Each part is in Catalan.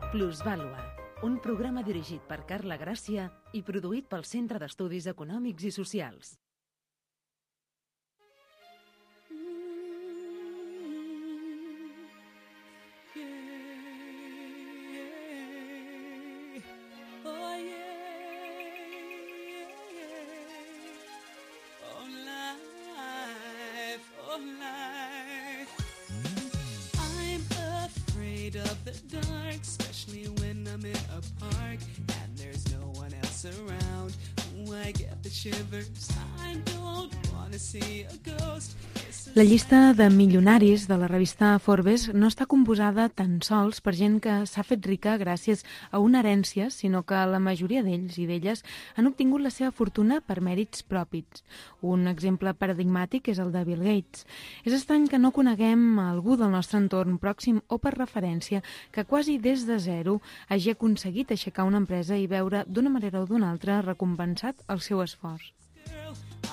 Plusvàlua, un programa dirigit per Carla Gràcia i produït pel Centre d'Estudis Econòmics i Socials. Of the dark, especially when I'm in a park and there's no one else around. Ooh, I get the shivers. I don't wanna see a ghost. La llista de milionaris de la revista Forbes no està composada tan sols per gent que s'ha fet rica gràcies a una herència, sinó que la majoria d'ells i d'elles han obtingut la seva fortuna per mèrits propis. Un exemple paradigmàtic és el de Bill Gates. És estrany que no coneguem algú del nostre entorn pròxim o per referència que quasi des de zero hagi aconseguit aixecar una empresa i veure d'una manera o d'una altra recompensat el seu esforç.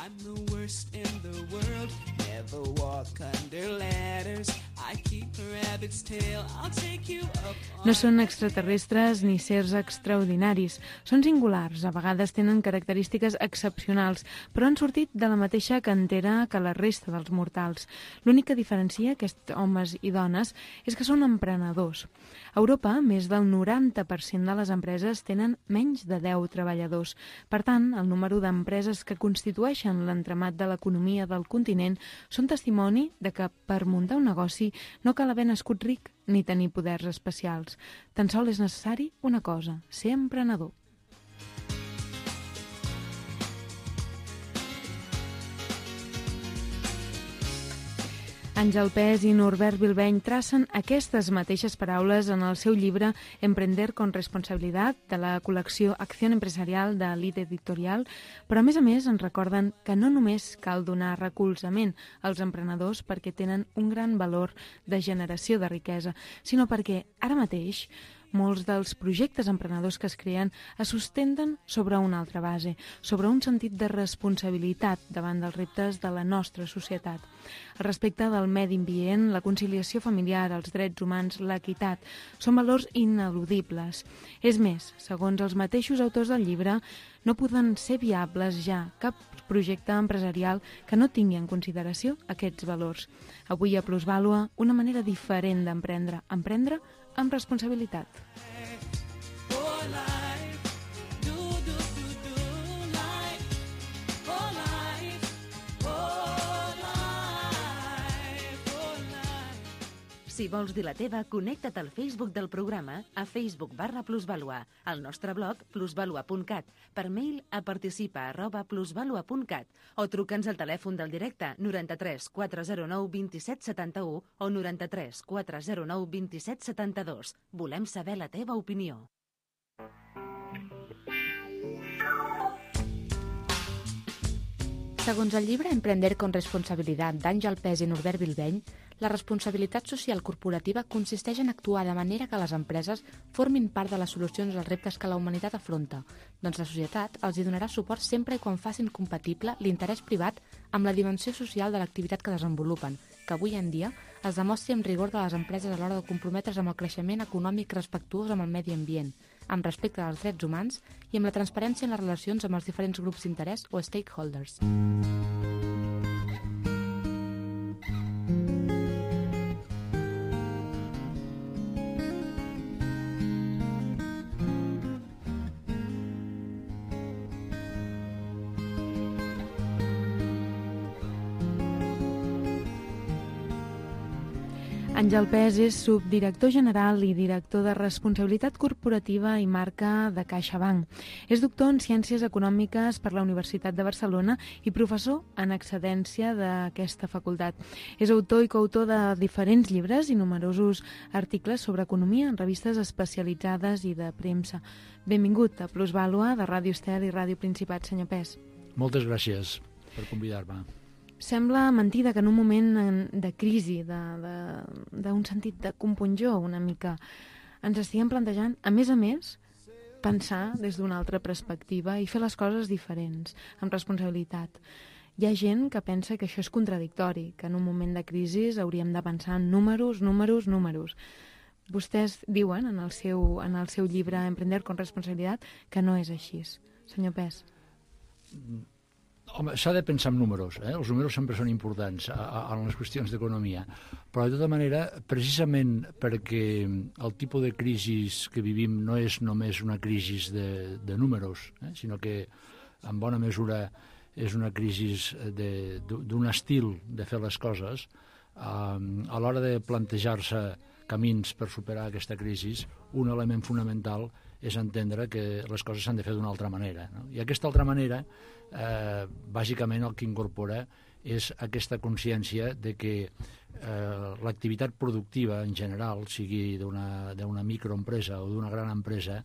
I'm the worst in the world. Never walk under ladders. I keep a rabbit's tail. I'll take you up. No són extraterrestres ni sers extraordinaris. Són singulars, a vegades tenen característiques excepcionals, però han sortit de la mateixa cantera que la resta dels mortals. L'únic que diferencia aquests homes i dones és que són emprenedors. A Europa, més del 90% de les empreses tenen menys de 10 treballadors. Per tant, el número d'empreses que constitueixen l'entramat de l'economia del continent són testimoni de que per muntar un negoci no cal haver nascut ric ni tenir poders especials. Tan sols és necessari una cosa, ser emprenedor. Àngel Pes i Norbert Bilbeny tracen aquestes mateixes paraules en el seu llibre Emprender con responsabilidad, de la col·lecció Acción Empresarial de l'It Editorial, però a més ens recorden que no només cal donar recolzament als emprenedors perquè tenen un gran valor de generació de riquesa, sinó perquè ara mateix molts dels projectes emprenedors que es creen es sustenten sobre una altra base, sobre un sentit de responsabilitat davant dels reptes de la nostra societat. El respecte del medi ambient, la conciliació familiar, els drets humans, l'equitat, són valors ineludibles. És més, segons els mateixos autors del llibre, no poden ser viables ja cap projecte empresarial que no tingui en consideració aquests valors. Avui a Plusvàlua, una manera diferent d'emprendre, emprendre amb responsabilitat. Si vols dir la teva, connecta't al Facebook del programa a Facebook/Plusvàlua, al nostre blog plusvalua.cat, per mail a participa@plusvalua.cat o truca'ns al telèfon del directe 93 409 27 71 o 93 409 27 72. Volem saber la teva opinió. Segons el llibre Emprender con responsabilidad d'Àngel Pes i Norbert Bilbeny, la responsabilitat social corporativa consisteix en actuar de manera que les empreses formin part de les solucions als reptes que la humanitat afronta, doncs la societat els hi donarà suport sempre i quan facin compatible l'interès privat amb la dimensió social de l'activitat que desenvolupen, que avui en dia es demostri amb rigor de les empreses a l'hora de comprometre's amb el creixement econòmic respectuós amb el medi ambient, amb respecte als drets humans i amb la transparència en les relacions amb els diferents grups d'interès o stakeholders. Àngel Pes és subdirector general i director de Responsabilitat Corporativa i Marca de CaixaBank. És doctor en Ciències Econòmiques per la Universitat de Barcelona i professor en excedència d'aquesta facultat. És autor i coautor de diferents llibres i numerosos articles sobre economia en revistes especialitzades i de premsa. Benvingut a Plusvàlua de Ràdio Estel i Ràdio Principat, senyor Pes. Moltes gràcies per convidar-me. Sembla mentida que en un moment de crisi, d'un sentit de compunjó una mica, ens estiguem plantejant, a més, pensar des d'una altra perspectiva i fer les coses diferents, amb responsabilitat. Hi ha gent que pensa que això és contradictori, que en un moment de crisi hauríem de pensar en números. Vostès diuen en el seu llibre Emprender con responsabilitat que no és així. Senyor Pes. Home, s'ha de pensar en números, els números sempre són importants en les qüestions d'economia, però de tota manera, precisament perquè el tipus de crisi que vivim no és només una crisi de números, sinó que en bona mesura és una crisi d'un estil de fer les coses, a l'hora de plantejar-se camins per superar aquesta crisi, un element fonamental és entendre que les coses s'han de fer d'una altra manera. No? I aquesta altra manera, bàsicament el que incorpora és aquesta consciència de que l'activitat productiva en general, sigui d'una microempresa o d'una gran empresa,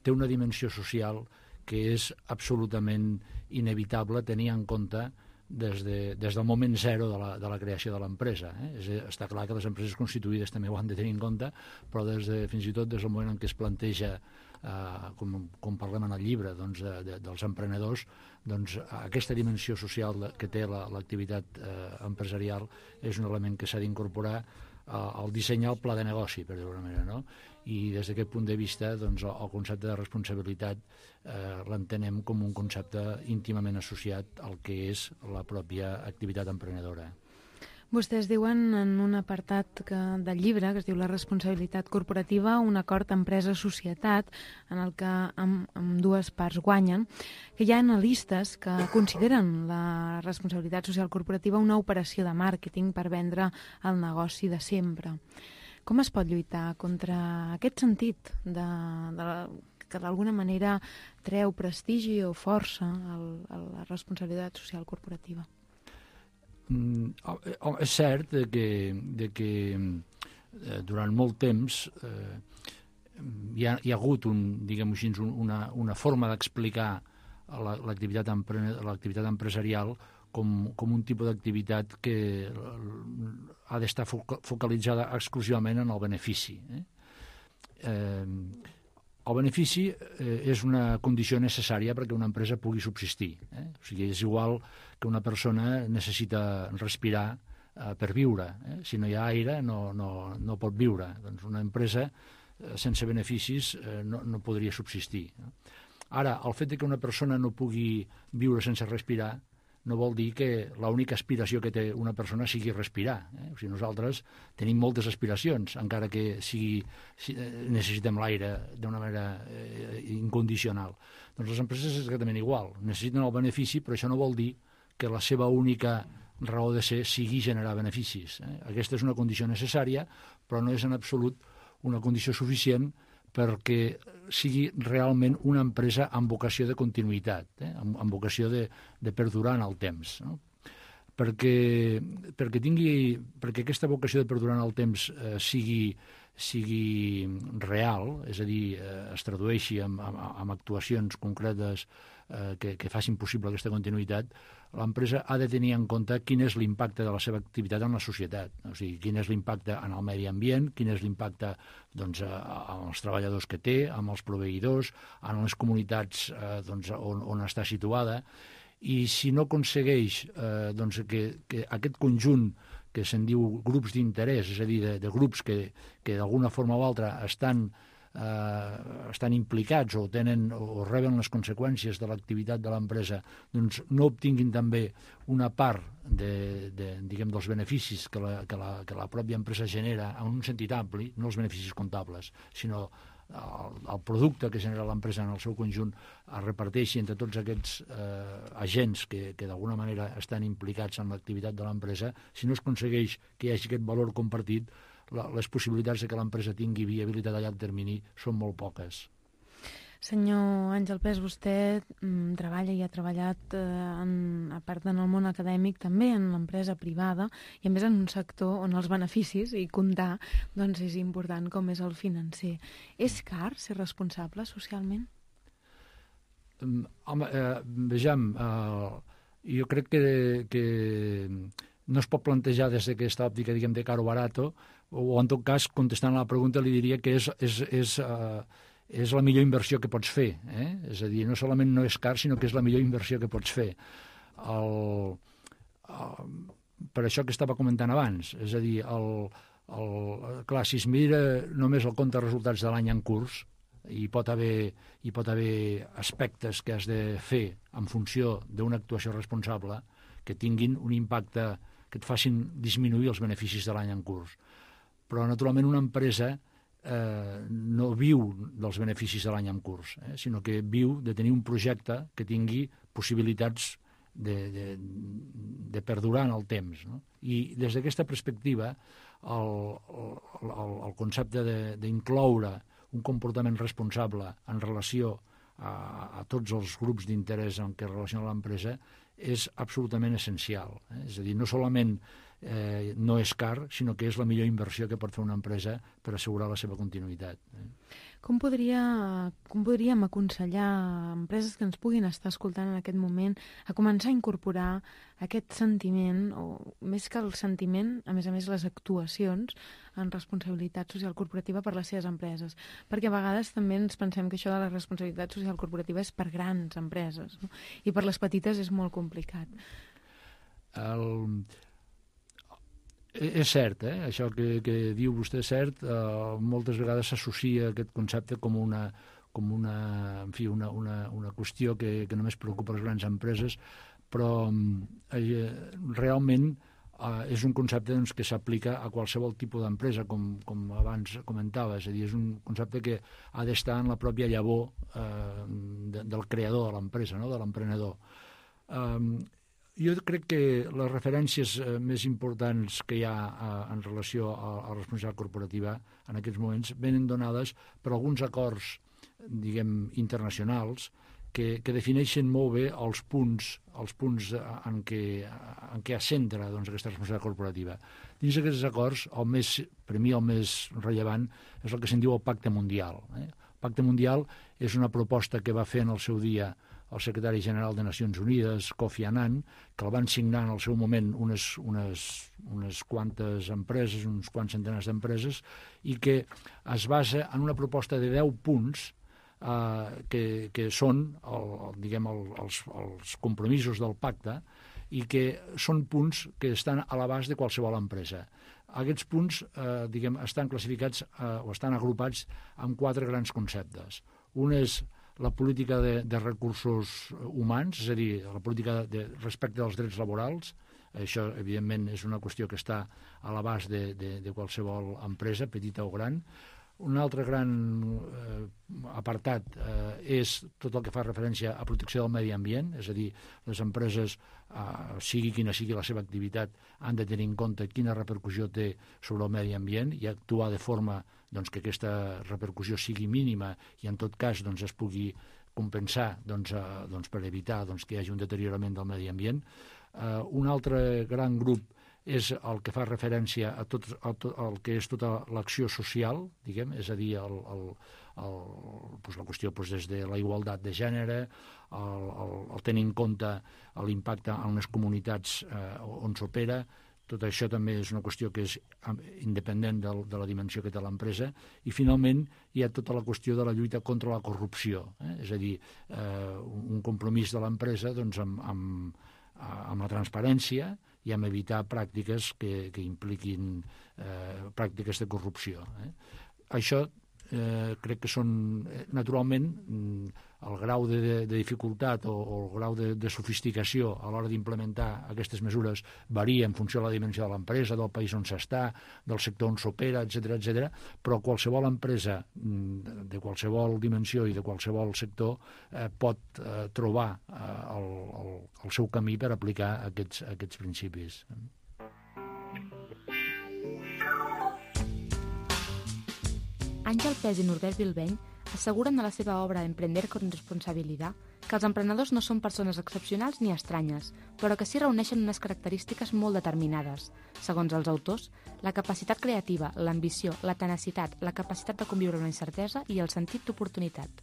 té una dimensió social que és absolutament inevitable tenir en compte des del moment zero de la creació de l'empresa. Està clar que les empreses constituïdes també ho han de tenir en compte, però fins i tot des del moment en què es planteja, com parlem en el llibre, dels emprenedors, aquesta dimensió social que té l'activitat empresarial és un element que s'ha d'incorporar al dissenyar el pla de negoci, per dir-ho d'una manera, no? I des d'aquest punt de vista, el concepte de responsabilitat l'entenem com un concepte íntimament associat al que és la pròpia activitat emprenedora. Vostès diuen en un apartat del llibre, que es diu La responsabilitat corporativa, un acord empresa-societat, en el que amb dues parts guanyen, que hi ha analistes que consideren la responsabilitat social corporativa una operació de màrqueting per vendre el negoci de sempre. Com es pot lluitar contra aquest sentit que d'alguna manera treu prestigi o força a la responsabilitat social corporativa? És cert que durant molt temps hi ha hagut una forma d'explicar l'activitat empresarial com un tipus d'activitat que ha d'estar focalitzada exclusivament en el benefici. El benefici és una condició necessària perquè una empresa pugui subsistir. O sigui, és igual que una persona necessita respirar per viure. Si no hi ha aire no pot viure. Doncs una empresa sense beneficis no podria subsistir. Ara, el fet que una persona no pugui viure sense respirar no vol dir que l'única aspiració que té una persona sigui respirar. O sigui, nosaltres tenim moltes aspiracions, encara que necessitem l'aire d'una manera incondicional. Doncs les empreses és exactament igual. Necessiten el benefici, però això no vol dir que la seva única raó de ser sigui generar beneficis. Aquesta és una condició necessària, però no és en absolut una condició suficient perquè sigui realment una empresa amb vocació de continuïtat, amb vocació de perdurar en el temps. No? Perquè aquesta vocació de perdurar en el temps sigui real, és a dir, es tradueixi en actuacions concretes que facin possible aquesta continuïtat, l'empresa ha de tenir en compte quin és l'impacte de la seva activitat en la societat. O sigui, quin és l'impacte en el medi ambient, quin és l'impacte amb els treballadors que té, amb els proveïdors, en les comunitats on està situada. I si no aconsegueix que aquest conjunt que se'n diu grups d'interès, és a dir, de grups que d'alguna forma o altra estan implicats o reben les conseqüències de l'activitat de l'empresa, doncs no obtinguin també una part dels beneficis que la pròpia empresa genera en un sentit ampli, no els beneficis comptables, sinó el producte que genera l'empresa en el seu conjunt es reparteixi entre tots aquests agents que d'alguna manera estan implicats en l'activitat de l'empresa. Si no es aconsegueix que hi hagi aquest valor compartit, les possibilitats de que l'empresa tingui viabilitat a llarg termini són molt poques. Senyor Àngel Pes, vostè treballa i ha treballat, a part en el món acadèmic, també en l'empresa privada i a més en un sector on els beneficis i comptar és important com és el financer. És car ser responsable socialment? Home, vejam, jo crec que no es pot plantejar des d'aquesta òptica, diguem, de caro barato, o en tot cas, contestant a la pregunta, li diria que és la millor inversió que pots fer. És a dir, no solament no és car, sinó que és la millor inversió que pots fer. Per això que estava comentant abans, és a dir, Clar, si es mira només el compte de resultats de l'any en curs, hi pot haver aspectes que has de fer en funció d'una actuació responsable que tinguin un impacte que et facin disminuir els beneficis de l'any en curs. Però, naturalment, una empresa no viu dels beneficis de l'any en curs, sinó que viu de tenir un projecte que tingui possibilitats de perdurar en el temps. No? I des d'aquesta perspectiva, el concepte d'incloure un comportament responsable en relació a tots els grups d'interès en què relaciona l'empresa és absolutament essencial. És a dir, no solament no és car, sinó que és la millor inversió que pot fer una empresa per assegurar la seva continuïtat. Com podríem aconsellar a empreses que ens puguin estar escoltant en aquest moment a començar a incorporar aquest sentiment, o més que el sentiment, a més les actuacions en responsabilitat social corporativa per les seves empreses? Perquè a vegades també ens pensem que això de la responsabilitat social corporativa és per grans empreses, no? I per les petites és molt complicat. És cert, això que diu vostè és cert. Moltes vegades s'associa aquest concepte com una qüestió que només preocupa les grans empreses, però realment és un concepte que s'aplica a qualsevol tipus d'empresa, com abans comentava. És a dir, és un concepte que ha d'estar en la pròpia llavor del creador de l'empresa, no? De l'emprenedor. Jo crec que les referències més importants que hi ha en relació a la responsabilitat corporativa en aquests moments venen donades per alguns acords, diguem, internacionals que defineixen molt bé els punts en què es centra aquesta responsabilitat corporativa. Dins d'aquests acords, per mi el més rellevant és el que se'n diu el Pacte Mundial. El Pacte Mundial és una proposta que va fer en el seu dia el secretari general de Nacions Unides, Kofi Annan, que el van signar en el seu moment unes quantes empreses, uns quants centenars d'empreses, i que es basa en una proposta de 10 punts que són els compromisos del pacte i que són punts que estan a l'abast de qualsevol empresa. Aquests punts estan classificats o estan agrupats en 4 grans conceptes. Un és la política de recursos humans, és a dir, la política respecte dels drets laborals. Això, evidentment, és una qüestió que està a l'abast de qualsevol empresa, petita o gran. Un altre gran apartat és tot el que fa referència a protecció del medi ambient, és a dir, les empreses, sigui quina sigui la seva activitat, han de tenir en compte quina repercussió té sobre el medi ambient i actuar de forma que aquesta repercussió sigui mínima i en tot cas es pugui compensar per evitar que hi hagi un deteriorament del medi ambient. Un altre gran grup és el que fa referència a tot el que és tota l'acció social, diguem, és a dir, la qüestió des de la igualtat de gènere, el tenir en compte l'impacte en les comunitats on s'opera. Tot això també és una qüestió que és independent de la dimensió que té l'empresa. I, finalment, hi ha tota la qüestió de la lluita contra la corrupció. És a dir, un compromís de l'empresa amb la transparència i amb evitar pràctiques que impliquin pràctiques de corrupció. Això crec que són, naturalment, el grau de dificultat o el grau de sofisticació a l'hora d'implementar aquestes mesures varia en funció de la dimensió de l'empresa, del país on s'està, del sector on s'opera, etc., però qualsevol empresa de qualsevol dimensió i de qualsevol sector pot trobar el seu camí per aplicar aquests principis. Àngel Pes i Norbert Bilbeny asseguren a la seva obra Emprender con responsabilidad que els emprenedors no són persones excepcionals ni estranyes, però que sí reuneixen unes característiques molt determinades. Segons els autors, la capacitat creativa, l'ambició, la tenacitat, la capacitat de conviure amb la incertesa i el sentit d'oportunitat.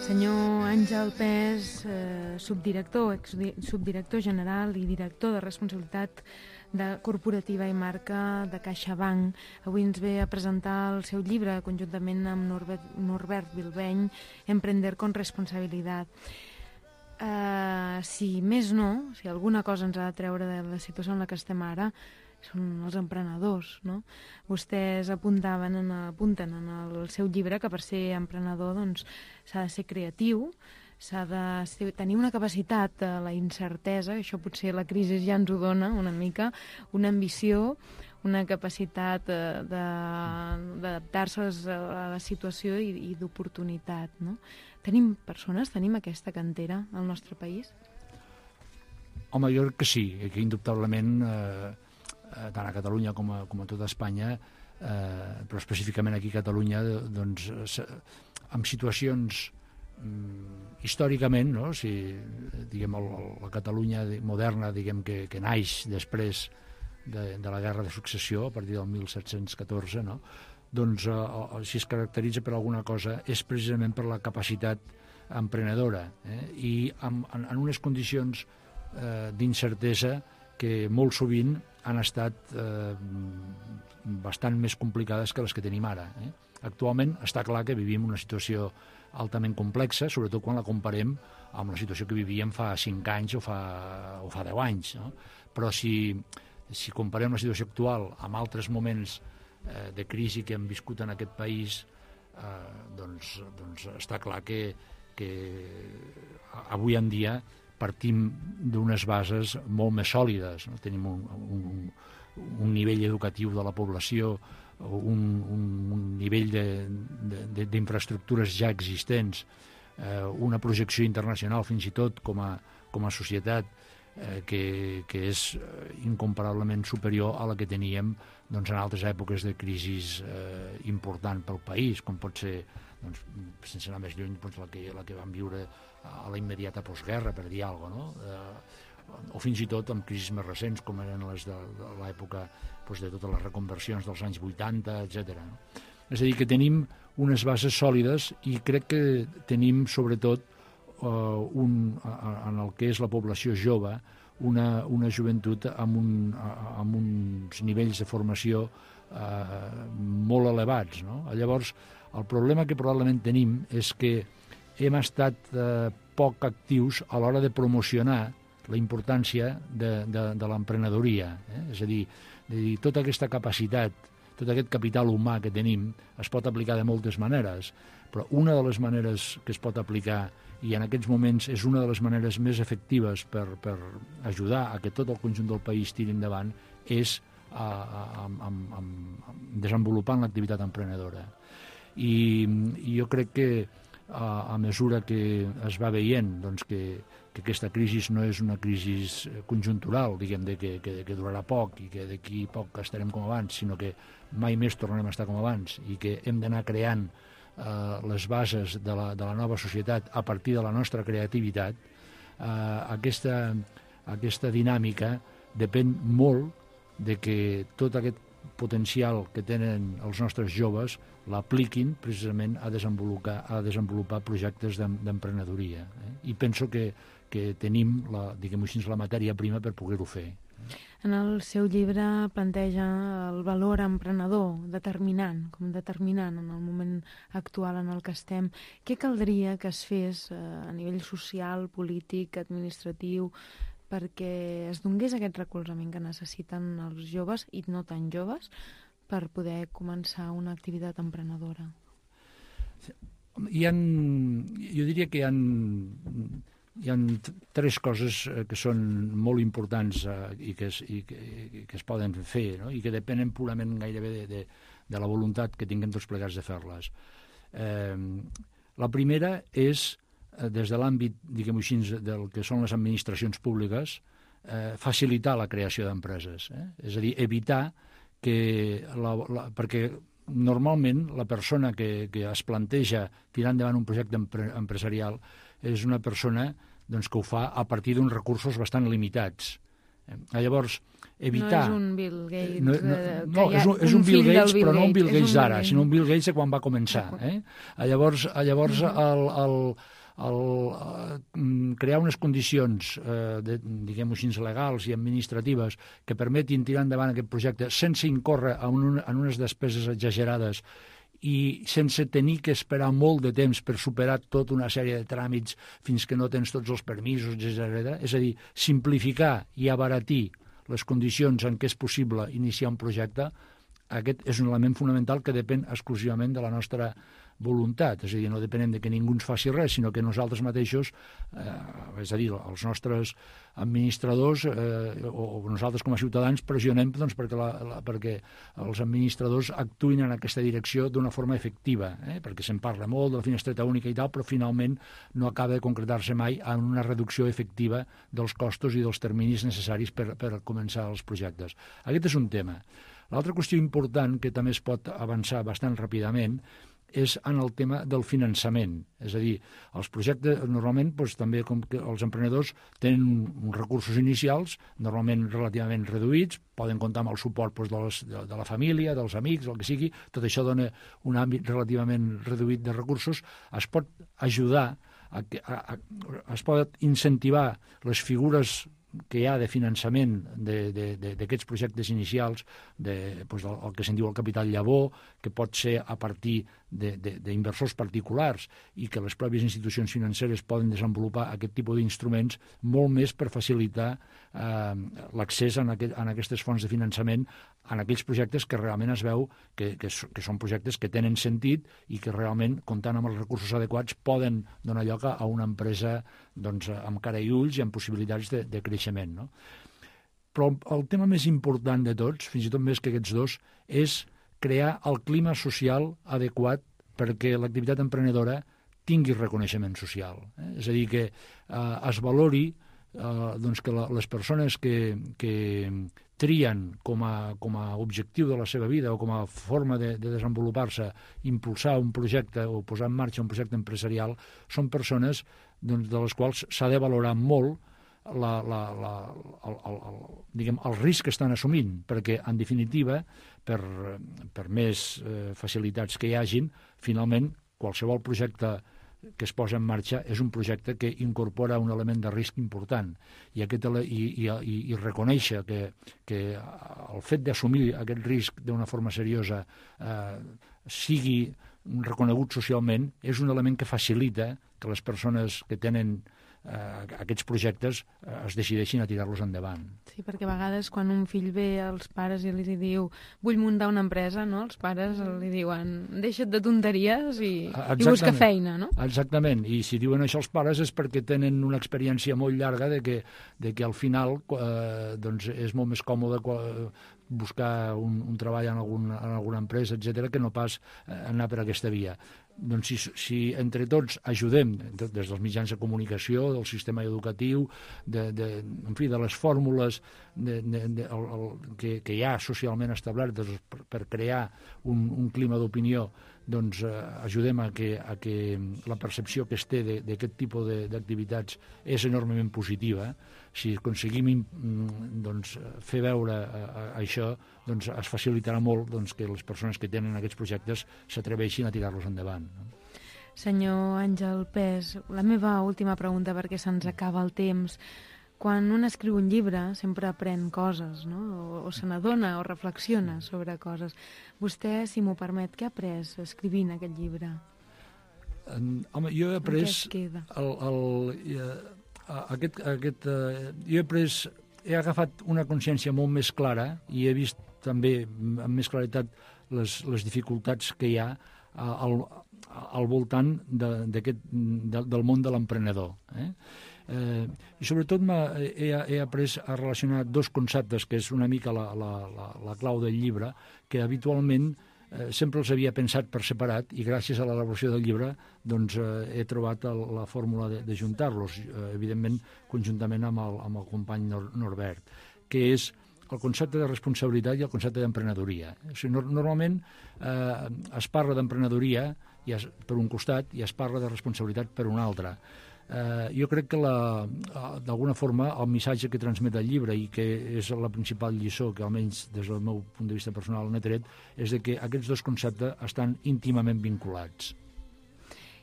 Senyor Àngel Pes, subdirector general i director de responsabilitat corporativa i marca de CaixaBank. Avui ens ve a presentar el seu llibre conjuntament amb Norbert Bilbeny, Emprender con responsabilidad. Si més no, si alguna cosa ens ha de treure de la situació en la que estem ara, són els emprenedors, no? Vostès apunten en el seu llibre que per ser emprenedor doncs, s'ha de ser creatiu, s'ha de tenir una capacitat a la incertesa, això potser la crisi ja ens ho dona una mica, una ambició, una capacitat d'adaptar-se a la situació i d'oportunitat, no? Tenim persones, tenim aquesta cantera al nostre país? Home, jo crec que sí, que indubtablement, tant a Catalunya com a tota Espanya, però específicament aquí a Catalunya, doncs, amb situacions històricament, no? Si, diguem, la Catalunya moderna, diguem, que naix després de la Guerra de Successió, a partir del 1714, no? Doncs si es caracteritza per alguna cosa és precisament per la capacitat emprenedora, i en unes condicions d'incertesa que molt sovint han estat bastant més complicades que les que tenim ara. Actualment està clar que vivim una situació altament complexa, sobretot quan la comparem amb la situació que vivíem fa 5 anys o fa 10 anys. No? Però si comparem la situació actual amb altres moments de crisi que hem viscut en aquest país, doncs està clar que avui en dia partim d'unes bases molt més sòlides. No? Tenim un nivell educatiu de la població, un nivell d'infraestructures ja existents, una projecció internacional fins i tot com a societat que és incomparablement superior a la que teníem doncs, en altres èpoques de crisis important pel país, com pot ser, doncs, sense anar més lluny, doncs, la que vam viure a la immediata postguerra, per dir alguna cosa, no? O fins i tot amb crisis més recents, com eren les de l'època doncs, de totes les reconversions dels anys 80, etc. No? És a dir, que tenim unes bases sòlides i crec que tenim, sobretot, en el que és la població jove, una joventut amb uns nivells de formació molt elevats. No? Llavors, el problema que probablement tenim és que hem estat poc actius a l'hora de promocionar la importància de l'emprenedoria. És a dir, tota aquesta capacitat, tot aquest capital humà que tenim es pot aplicar de moltes maneres, però una de les maneres que es pot aplicar, i en aquests moments és una de les maneres més efectives per ajudar a que tot el conjunt del país tiri endavant, és desenvolupant l'activitat emprenedora. I jo crec que a mesura que es va veient doncs, que aquesta crisi no és una crisi conjuntural, diguem, que durarà poc i que d'aquí poc estarem com abans, sinó que mai més tornarem a estar com abans i que hem d'anar creant les bases de la nova societat a partir de la nostra creativitat, aquesta dinàmica depèn molt de que tot aquest potencial que tenen els nostres joves l'apliquin precisament a desenvolupar projectes d'emprenedoria. I penso que tenim diguem-ho així, la matèria prima per poder-ho fer. En el seu llibre planteja el valor emprenedor com determinant en el moment actual en el que estem. Què caldria que es fes a nivell social, polític, administratiu, perquè es donés aquest recolzament que necessiten els joves i no tan joves per poder començar una activitat emprenedora? Jo diria que hi ha 3 coses que són molt importants i que es poden fer, no? I que depenen purament gairebé de la voluntat que tinguem tots plegats de fer-les. La primera és, des de l'àmbit, diguem-ho així, del que són les administracions públiques, facilitar la creació d'empreses. És a dir, evitar que... perquè normalment la persona que es planteja tirar endavant un projecte empresarial és una persona doncs, que ho fa a partir d'uns recursos bastant limitats. Llavors, evitar... No és un Bill Gates. No, és un Bill Gates, però no un Bill Gates d'ara, sinó un Bill Gates de quan va començar. Llavors crear unes condicions, diguem-ho així, legals i administratives que permetin tirar endavant aquest projecte sense incórrer en unes despeses exagerades i sense tenir que esperar molt de temps per superar tota una sèrie de tràmits fins que no tens tots els permisos, etc. És a dir, simplificar i abaratir les condicions en què és possible iniciar un projecte, aquest és un element fonamental que depèn exclusivament de la nostra voluntat, és a dir, no depenem de que ningú ens faci res, sinó que nosaltres mateixos, és a dir, els nostres administradors o nosaltres com a ciutadans pressionem doncs, perquè els administradors actuïn en aquesta direcció d'una forma efectiva, perquè se'n parla molt de la finestreta única i tal, però finalment no acaba de concretar-se mai en una reducció efectiva dels costos i dels terminis necessaris per començar els projectes. Aquest és un tema. L'altra qüestió important, que també es pot avançar bastant ràpidament, és en el tema del finançament. És a dir, els projectes normalment també com que els emprenedors tenen uns recursos inicials normalment relativament reduïts, poden comptar amb el suport de la família, dels amics, el que sigui, tot això dona un àmbit relativament reduït de recursos, es pot ajudar, es pot incentivar les figures que hi ha de finançament d'aquests projectes inicials, el que se'n diu el capital llavor, que pot ser a partir d'inversors particulars i que les pròpies institucions financeres poden desenvolupar aquest tipus d'instruments molt més per facilitar l'accés a aquestes fonts de finançament en aquells projectes que realment es veu que són projectes que tenen sentit i que realment, comptant amb els recursos adequats, poden donar lloc a una empresa amb cara i ulls i amb possibilitats de creixement. No? Però el tema més important de tots, fins i tot més que aquests dos, és crear el clima social adequat perquè l'activitat emprenedora tingui reconeixement social. És a dir, que es valori que les persones que trien com a objectiu de la seva vida o com a forma de desenvolupar-se, impulsar un projecte o posar en marxa un projecte empresarial, són persones de les quals s'ha de valorar molt el risc que estan assumint, perquè, en definitiva, per més facilitats que hi hagin, finalment, qualsevol projecte que es posa en marxa és un projecte que incorpora un element de risc important i reconèixer que el fet d'assumir aquest risc d'una forma seriosa sigui reconegut socialment és un element que facilita que les persones que tenen aquests projectes es decideixin a tirar-los endavant. Sí, perquè a vegades quan un fill ve als pares i els diu vull muntar una empresa, no? Els pares li diuen deixa't de tonteries i busca feina, no? Exactament, i si diuen això els pares és perquè tenen una experiència molt llarga de que al final és molt més còmode buscar un treball en alguna empresa, etc., que no pas anar per aquesta via. Doncs si entre tots ajudem, des dels mitjans de comunicació, del sistema educatiu, en fi, de les fórmules que hi ha socialment establertes per crear un clima d'opinió, doncs ajudem a que la percepció que es té d'aquest tipus d'activitats és enormement positiva. Si aconseguim fer veure això, doncs es facilitarà molt que les persones que tenen aquests projectes s'atreveixin a tirar-los endavant. Senyor Àngel Pes, la meva última pregunta, perquè se'ns acaba el temps. Quan un escriu un llibre sempre aprèn coses, no? O se n'adona o reflexiona sobre coses. Vostè, si m'ho permet, què ha après escrivint aquest llibre? Home, jo he après... He agafat una consciència molt més clara i he vist també amb més claretat les dificultats que hi ha al voltant del món de l'emprenedor. I sobretot he après a relacionar dos conceptes, que és una mica la clau del llibre, que habitualment sempre els havia pensat per separat i gràcies a l'elaboració del llibre he trobat la fórmula de juntar-los, evidentment conjuntament amb el company Norbert, que és el concepte de responsabilitat i el concepte d'emprenedoria. Normalment es parla d'emprenedoria per un costat i es parla de responsabilitat per un altre. Jo crec que d'alguna forma el missatge que transmet el llibre i que és la principal lliçó que almenys des del meu punt de vista personal n'he tret és que aquests dos conceptes estan íntimament vinculats.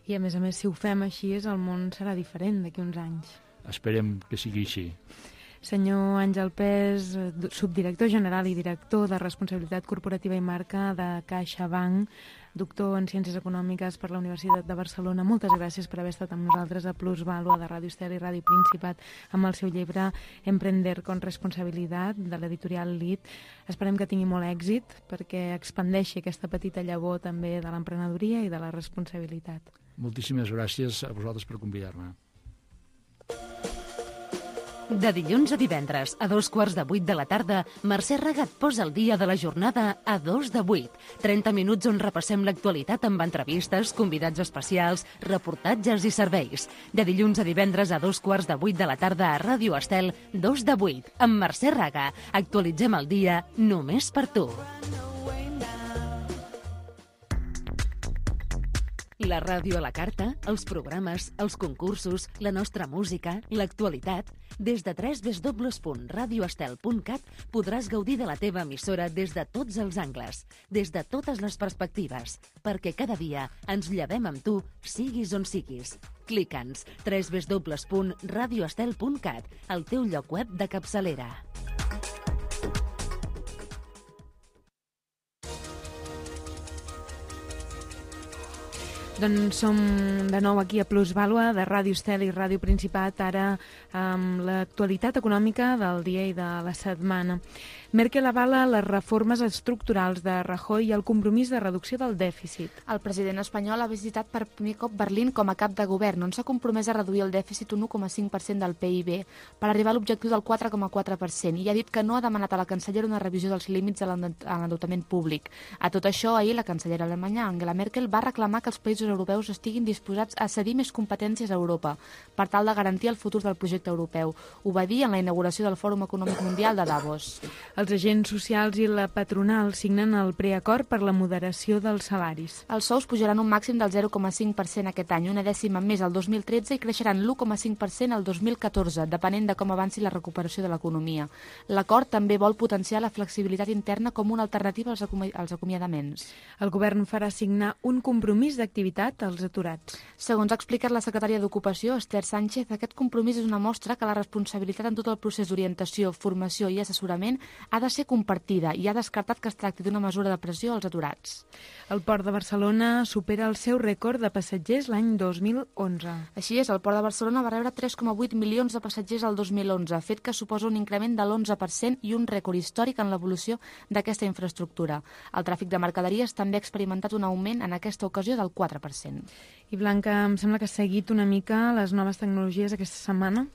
I a més, si ho fem així, el món serà diferent d'aquí uns anys. Esperem que sigui així. Senyor Àngel Pes, subdirector general i director de Responsabilitat Corporativa i Marca de CaixaBank, doctor en Ciències Econòmiques per la Universitat de Barcelona. Moltes gràcies per haver estat amb nosaltres a Plusvàlua de Ràdio Estel i Ràdio Principat amb el seu llibre Emprender con Responsabilidad, de l'editorial LIT. Esperem que tingui molt èxit perquè expandeixi aquesta petita llavor també de l'emprenedoria i de la responsabilitat. Moltíssimes gràcies a vosaltres per convidar-me. De dilluns a divendres, a 7:45 de la tarda, Mercè Raga et posa el dia de la jornada a 7:02. 30 minuts on repassem l'actualitat amb entrevistes, convidats especials, reportatges i serveis. De dilluns a divendres a 7:15 de la tarda a Ràdio Estel, 2:08, amb Mercè Raga. Actualitzem el dia només per tu. La ràdio a la carta, els programes, els concursos, la nostra música, l'actualitat. Des de www.radioestel.cat podràs gaudir de la teva emissora des de tots els angles, des de totes les perspectives, perquè cada dia ens llevem amb tu, siguis on siguis. Clica'ns www.radioestel.cat, el teu lloc web de capçalera. Doncs som de nou aquí a Plusvàlua de Ràdio Estel i Ràdio Principat, ara amb l'actualitat econòmica del dia i de la setmana. Merkel avala les reformes estructurals de Rajoy i el compromís de reducció del dèficit. El president espanyol ha visitat per primer cop Berlín com a cap de govern, on s'ha compromès a reduir el dèficit un 1,5% del PIB per arribar a l'objectiu del 4,4% i ha dit que no ha demanat a la cancellera una revisió dels límits a l'endeutament públic. A tot això, ahir la cancellera alemanya Angela Merkel va reclamar que els països europeus estiguin disposats a cedir més competències a Europa per tal de garantir el futur del projecte europeu. Ho va dir en la inauguració del Fòrum Econòmic Mundial de Davos. Els agents socials i la patronal signen el preacord per la moderació dels salaris. Els sous pujaran un màxim del 0,5% aquest any, una dècima més el 2013 i creixeran l'1,5% el 2014, depenent de com avanci la recuperació de l'economia. L'acord també vol potenciar la flexibilitat interna com una alternativa als acomiadaments. El govern farà signar un compromís d'activitat als aturats. Segons ha explicat la secretària d'Ocupació, Esther Sánchez, aquest compromís és una mostra que la responsabilitat en tot el procés d'orientació, formació i assessorament ha de ser compartida i ha descartat que es tracti d'una mesura de pressió als aturats. El Port de Barcelona supera el seu rècord de passatgers l'any 2011. Així és, el Port de Barcelona va rebre 3,8 milions de passatgers el 2011, fet que suposa un increment de l'11% i un rècord històric en l'evolució d'aquesta infraestructura. El tràfic de mercaderies també ha experimentat un augment en aquesta ocasió del 4%. I Blanca, em sembla que has seguit una mica les noves tecnologies aquesta setmana.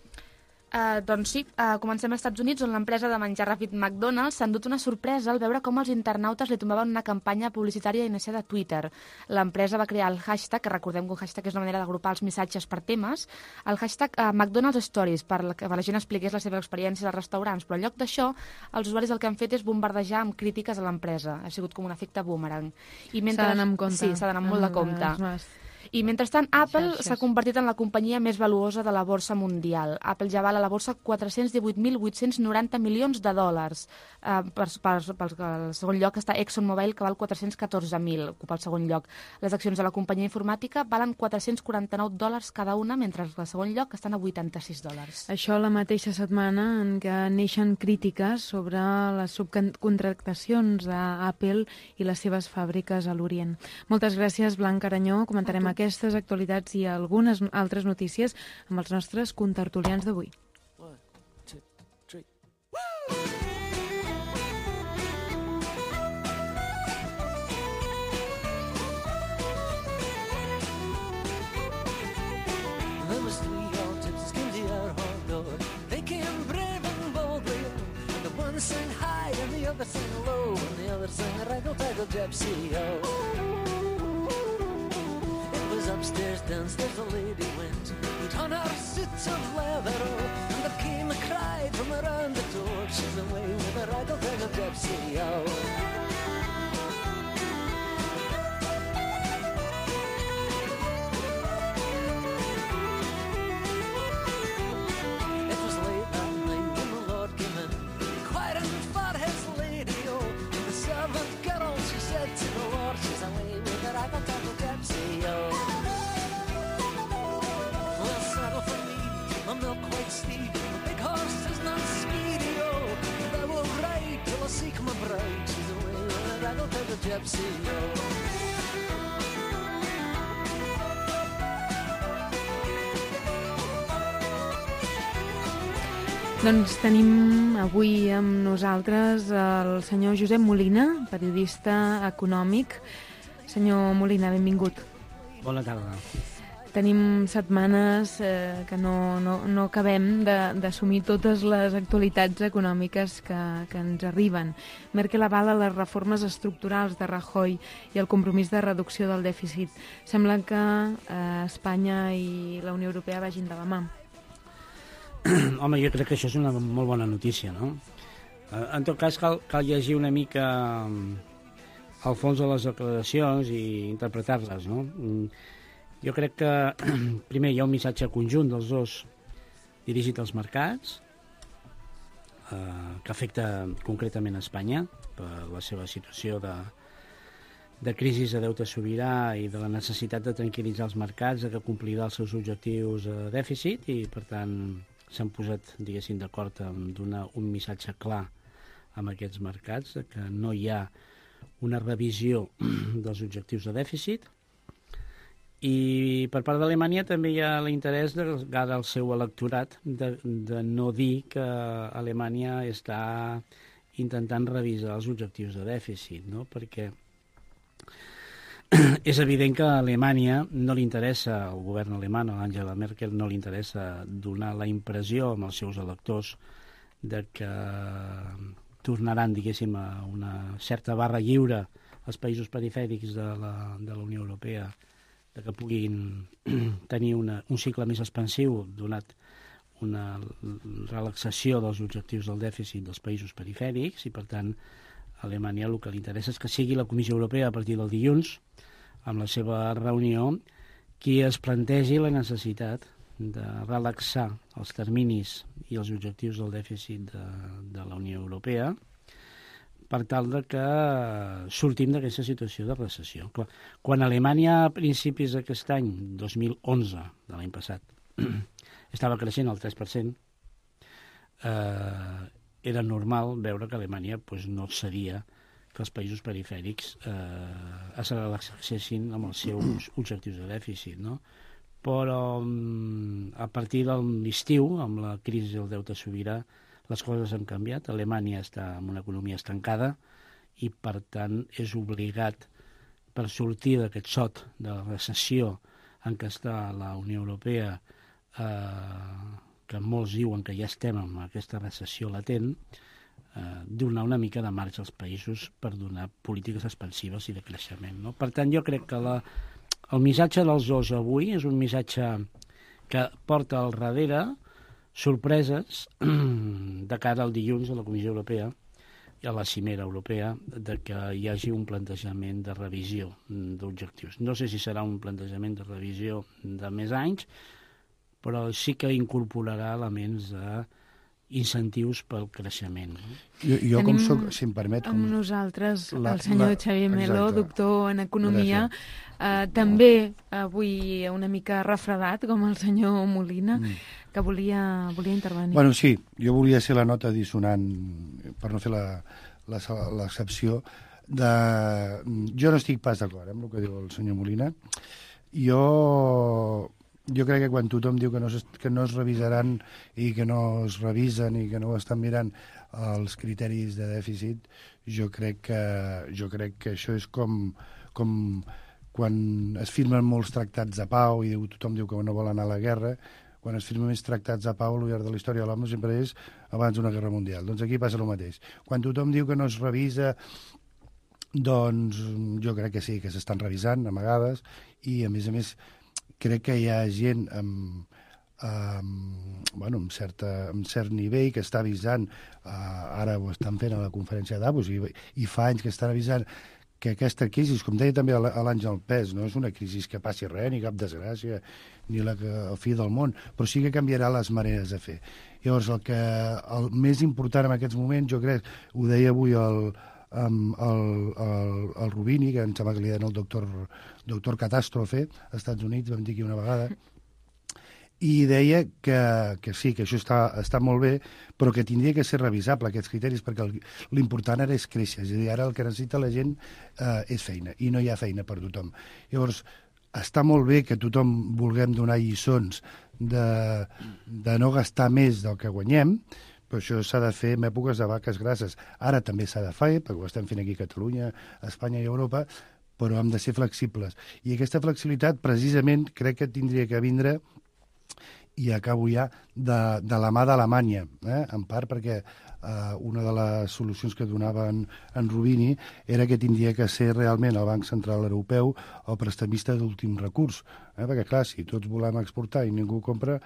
Doncs sí, comencem als Estats Units, on l'empresa de menjar ràpid McDonald's s'ha endut una sorpresa al veure com els internautes li tombaven una campanya publicitària iniciada a Twitter. L'empresa va crear el hashtag, que recordem que un hashtag és una manera d'agrupar els missatges per temes, el hashtag McDonald's Stories, per que la gent expliqués la seva experiència als restaurants, però en lloc d'això, els usuaris el que han fet és bombardejar amb crítiques a l'empresa. Ha sigut com un efecte boomerang. S'ha d'anar amb compte. Sí, s'ha d'anar molt de compte. I mentrestant, Apple s'ha convertit en la companyia més valuosa de la borsa mundial. Apple ja val a la borsa 418.890 milions de dòlars. Pel segon lloc està ExxonMobil, que val 414.000, ocupa el segon lloc. Les accions de la companyia informàtica valen $449 cada una, mentre al segon lloc estan a $86. Això la mateixa setmana en què neixen crítiques sobre les subcontractacions d'Apple i les seves fàbriques a l'Orient. Moltes gràcies, Blanca Aranyó. Comentarem aquestes actualitats i algunes altres notícies amb els nostres contertulians d'avui. 1, 2, 3. There was 3 old gypsies came to our hall door. They came brave and boldly. The one sang high and the other sang low, and the other sang raggle-taggle gypsy-o. Upstairs, downstairs, the lady went, put on her suits of leather, and there came a cry from around the door, she's away with a raggle-taggle gypsy, oh. It was late that night when the Lord came in, inquiring for his lady, oh. And the servant girl, she said to the Lord, she's away with a raggle-taggle gypsy, oh. gypsy, oh. Doncs tenim avui amb nosaltres el senyor Josep Molina, periodista econòmic. Senyor Molina, benvingut. Bona tarda. Tenim setmanes que no acabem d'assumir totes les actualitats econòmiques que ens arriben. Merkel avala les reformes estructurals de Rajoy i el compromís de reducció del dèficit. Sembla que Espanya i la Unió Europea vagin de la mà. Home, jo crec que això és una molt bona notícia, no? En tot cas, cal llegir una mica al fons de les declaracions i interpretar-les, no? Jo crec que, primer, hi ha un missatge conjunt dels dos dirigit als mercats, que afecta concretament a Espanya per la seva situació de crisi de deute sobirà i de la necessitat de tranquil·litzar els mercats, de que complirà els seus objectius de dèficit i, per tant, s'han posat, diguéssim, d'acord en donar un missatge clar amb aquests mercats, que no hi ha una revisió dels objectius de dèficit. I per part d'Alemanya també hi ha l'interès de cara al seu electorat de no dir que Alemanya està intentant revisar els objectius de dèficit, no? Perquè és evident que a Alemanya no li interessa, al govern alemany, a Angela Merkel, no li interessa donar la impressió als seus electors de que tornaran, diguéssim, a una certa barra lliure als països perifèrics de la Unió Europea, de que puguin tenir un cicle més expansiu, donat una relaxació dels objectius del dèficit dels països perifèrics, i per tant a Alemanya el que li interessa és que sigui la Comissió Europea a partir del dilluns, amb la seva reunió, qui es plantegi la necessitat de relaxar els terminis i els objectius del dèficit de la Unió Europea per tal de que sortim d'aquesta situació de recessió. Quan Alemanya a principis d'aquest any, 2011, de l'any passat, estava creixent al 3%, era normal veure que Alemanya no seria que els països perifèrics es relaxessin amb els seus objectius de dèficit, no? Però a partir de l'estiu, amb la crisi del deute sobirà, les coses han canviat. Alemanya està en una economia estancada i, per tant, és obligat, per sortir d'aquest sot de la recessió en què està la Unió Europea, que molts diuen que ja estem en aquesta recessió latent, donar una mica de marge als països per donar polítiques expansives i de creixement, no? Per tant, jo crec que el missatge dels dos avui és un missatge que porta al darrere sorpreses de cara al dilluns a la Comissió Europea i a la cimera europea, de que hi hagi un plantejament de revisió d'objectius. No sé si serà un plantejament de revisió de més anys, però sí que incorporarà elements incentius pel creixement. Jo com soc, si em permet... Amb nosaltres el senyor Xavier Meló, doctor en Economia, també avui una mica refredat, com el senyor Molina, que volia intervenir. Bueno, sí, jo volia ser la nota dissonant, per no fer l'excepció, jo no estic pas d'acord amb el que diu el senyor Molina. Jo crec que quan tothom diu que no es revisaran i que no es revisen i que no estan mirant els criteris de dèficit, jo crec que això és com quan es firmen molts tractats de pau i tothom diu que no vol anar a la guerra. Quan es firmen més tractats de pau, al llarg de la història de l'home sempre és abans d'una guerra mundial. Doncs aquí passa el mateix. Quan tothom diu que no es revisa, doncs jo crec que sí, que s'estan revisant a vegades, i a més crec que hi ha gent amb cert nivell que està avisant, ara ho estan fent a la conferència de Davos i fa anys que estan avisant que aquesta crisi, com deia també l'Àngel Pes, no és una crisi que passi res, ni cap desgràcia, ni el fi del món, però sí que canviarà les maneres de fer. Llavors, el més important en aquests moments, jo crec, ho deia avui el Rubini, que em sembla que li deien el doctor Catàstrofe, als Estats Units, vam dir aquí una vegada, i deia que sí, que això està molt bé, però que tindria que ser revisable, aquests criteris, perquè l'important ara és créixer. És a dir, ara el que necessita la gent és feina, i no hi ha feina per tothom. Llavors, està molt bé que tothom vulguem donar lliçons de no gastar més del que guanyem, però això s'ha de fer en èpoques de vaques grasses. Ara també s'ha de fer, perquè ho estem fent aquí a Catalunya, a Espanya i a Europa, però hem de ser flexibles. I aquesta flexibilitat, precisament, crec que tindria que vindre, i acabo ja, de la mà d'Alemanya, en part perquè una de les solucions que donava en Rubini era que tindria que ser realment el Banc Central Europeu el prestamista d'últim recurs, perquè clar, si tots volem exportar i ningú compra,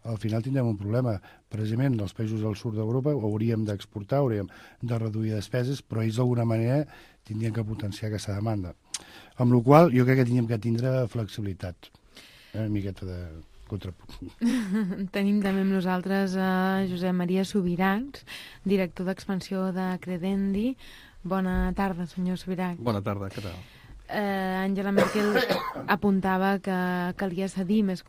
al final tindrem un problema. Precisament els països del sud d'Europa hauríem d'exportar, hauríem de reduir despeses, però ells d'alguna manera tindrien que potenciar aquesta demanda. Amb la qual jo crec que tindríem que tindre flexibilitat, una miqueta de contrapunt. Tenim també amb nosaltres Josep Maria Subirachs, director d'expansió de Credendi. Bona tarda, senyor Subirachs. Bona tarda, què tal? Angela Merkel apuntava que calia cedir més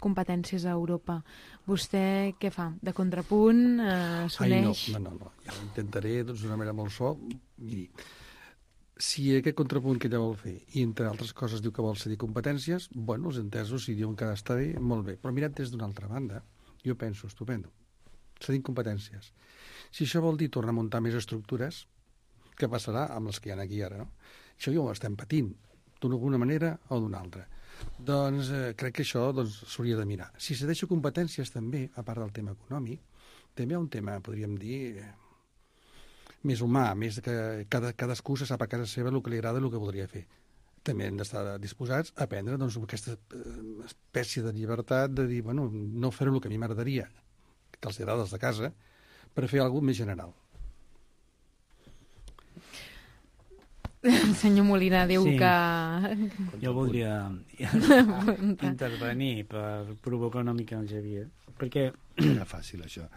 competències a Europa. Vostè què fa? De contrapunt? S'uneix? No. Ja ho intentaré d'una manera molt suau. Miri, si aquest contrapunt que ella vol fer, i entre altres coses diu que vol cedir competències, bueno, els entesos si diuen que està bé, molt bé. Però mirat des d'una altra banda, jo penso, estupendo, cedint competències. Si això vol dir tornar a muntar més estructures, què passarà amb les que hi ha aquí ara, no? Això ja ho estem patint, d'una manera o d'una altra. Doncs crec que això s'hauria de mirar. Si cedeixo competències també, a part del tema econòmic, també hi ha un tema, podríem dir, més humà, més que cadascú se sap a casa seva el que li agrada i el que voldria fer. També hem d'estar disposats a prendre aquesta espècie de llibertat de dir, bueno, no fer el que a mi m'agradaria, que els agrada els de casa, per fer alguna cosa més general. El senyor Molina diu que... Jo voldria intervenir per provocar una mica el Xavier, perquè... Era fàcil, això.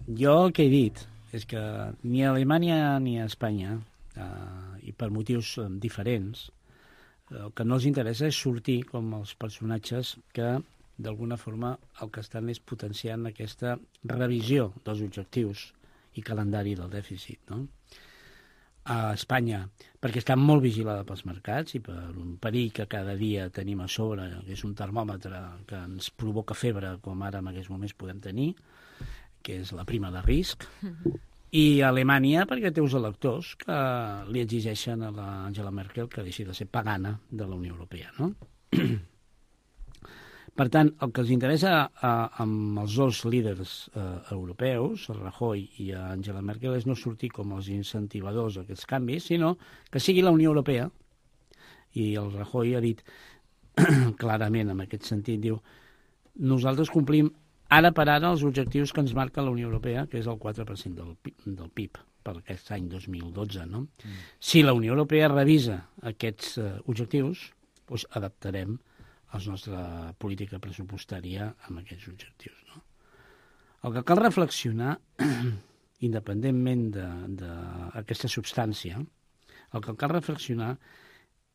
Jo el que he dit és que ni a Alemanya ni a Espanya, i per motius diferents, el que no els interessa és sortir com els personatges que, d'alguna forma, el que estan és potenciant aquesta revisió dels objectius i calendari del dèficit, no? A Espanya, perquè està molt vigilada pels mercats i per un perill que cada dia tenim a sobre, que és un termòmetre que ens provoca febre, com ara en aquests moments podem tenir, que és la prima de risc, i a Alemanya perquè té uns electors que li exigeixen a l'Angela Merkel que deixi de ser pagana de la Unió Europea, no? Per tant, el que els interessa amb els dos líders europeus, el Rajoy i Angela Merkel, és no sortir com els incentivadors d'aquests canvis, sinó que sigui la Unió Europea. I el Rajoy ha dit clarament en aquest sentit, diu, nosaltres complim ara per ara els objectius que ens marca la Unió Europea, que és el 4% del PIB per aquest any 2012. No? Si la Unió Europea revisa aquests objectius, doncs adaptarem la nostra política pressupostària amb aquests objectius. No? El que cal reflexionar, independentment d'aquesta substància, el que cal reflexionar